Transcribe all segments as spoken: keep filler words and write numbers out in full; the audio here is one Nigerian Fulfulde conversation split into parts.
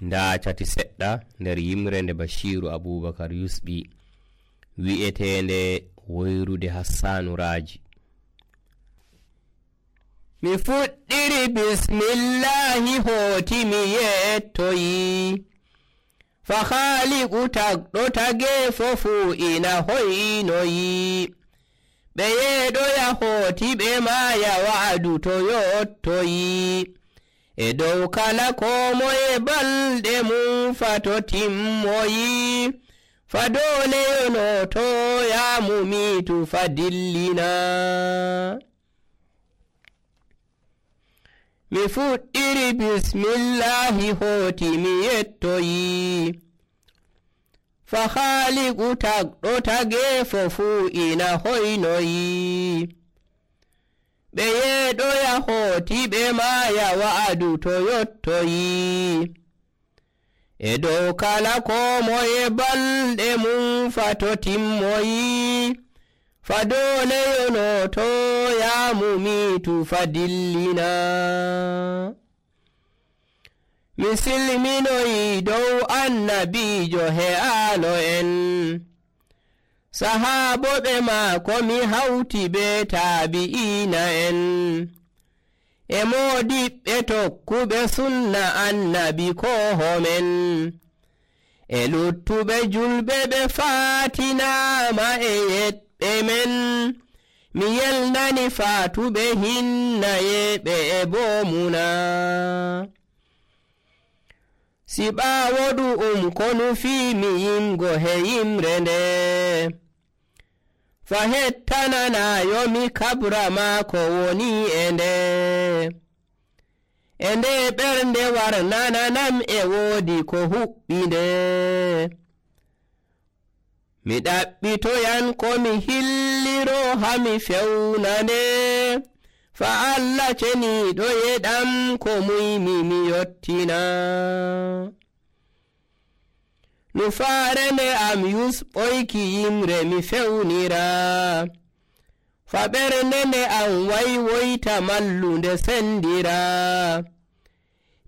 nda cati seɗɗa nder yimre nde Bashiru Abubakar yusɓi wi'etende woyrude Hassanuraji. Mi fuɗɗiri bismillahi hooti mi yettoyi, fa haaliqu tagɗo tage fofu ina hoynoyi, ɓe yeeɗoya hooti ɓe maaya wa'adu to yottoyi, e dow kala ko moye balɗe mum fa to timmoyi, fa dole yonoto yamumitu fa dillina. Mi fuɗɗiri bismillahi hooti mi yettoyi, fa haaliqu tagɗo tage fofu ina hoynoyi, ɓe yeeɗoya hooti ɓe maaya wa'adu to yottoyi, e dow kala ko moye balɗe mum fa to timmoyi, fa dole yonoto yamumitu fa dillina. Mi silminoyi dow annabijo he'aano en, sahaaboɓe maako mi hawti be taabi'ina en, e moodiɓɓe tokkuɓe sunna annabi kohomen, e luttuɓe julɓe ɓe faatinama e yeɗɓe men, mi yelnani faatuɓe hinnayeɓe e bomuna. Si ɓaawoɗu um ko nufiimi yimgo he yimre nde, fa hettananayo mi kabra maako woni e nde, e nde ɓernde warnananam e woodi ko huɓɓi nde, mi ɗaɓɓitoyan ko mi hilliro hami fewnande, fa Allah ceniiɗo yeɗam ko muymi mi yottina. Nufaare nde am yusɓoyki yimre mi fewnira, fa ɓernde nde am waywoyta mallunde sendira,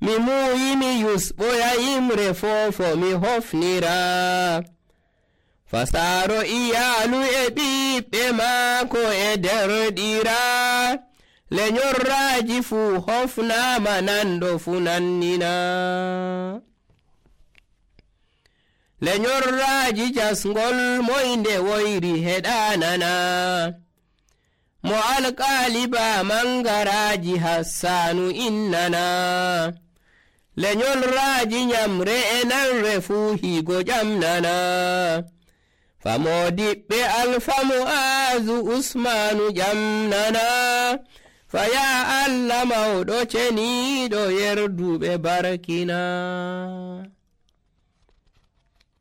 mi muuyi mi yusɓoya yimre fofo mi hofnira, fa saaro iyaalu e ɓiɓɓe maako e derɗira, lenyorraji fuu hofnama nanɗo fuu nannina. Lenyorraji jasngol moynde woyri heɗanana, mo alƙaali ba mangaraji Hassanu innana, lenyorraji nyamre e nanre fuu higo ƴamnana, fa moodiɓɓe Alfa Mu'azu Usmanu ƴamnana, fa ya Allah mawɗo ceniiɗo yerduɓe barkina.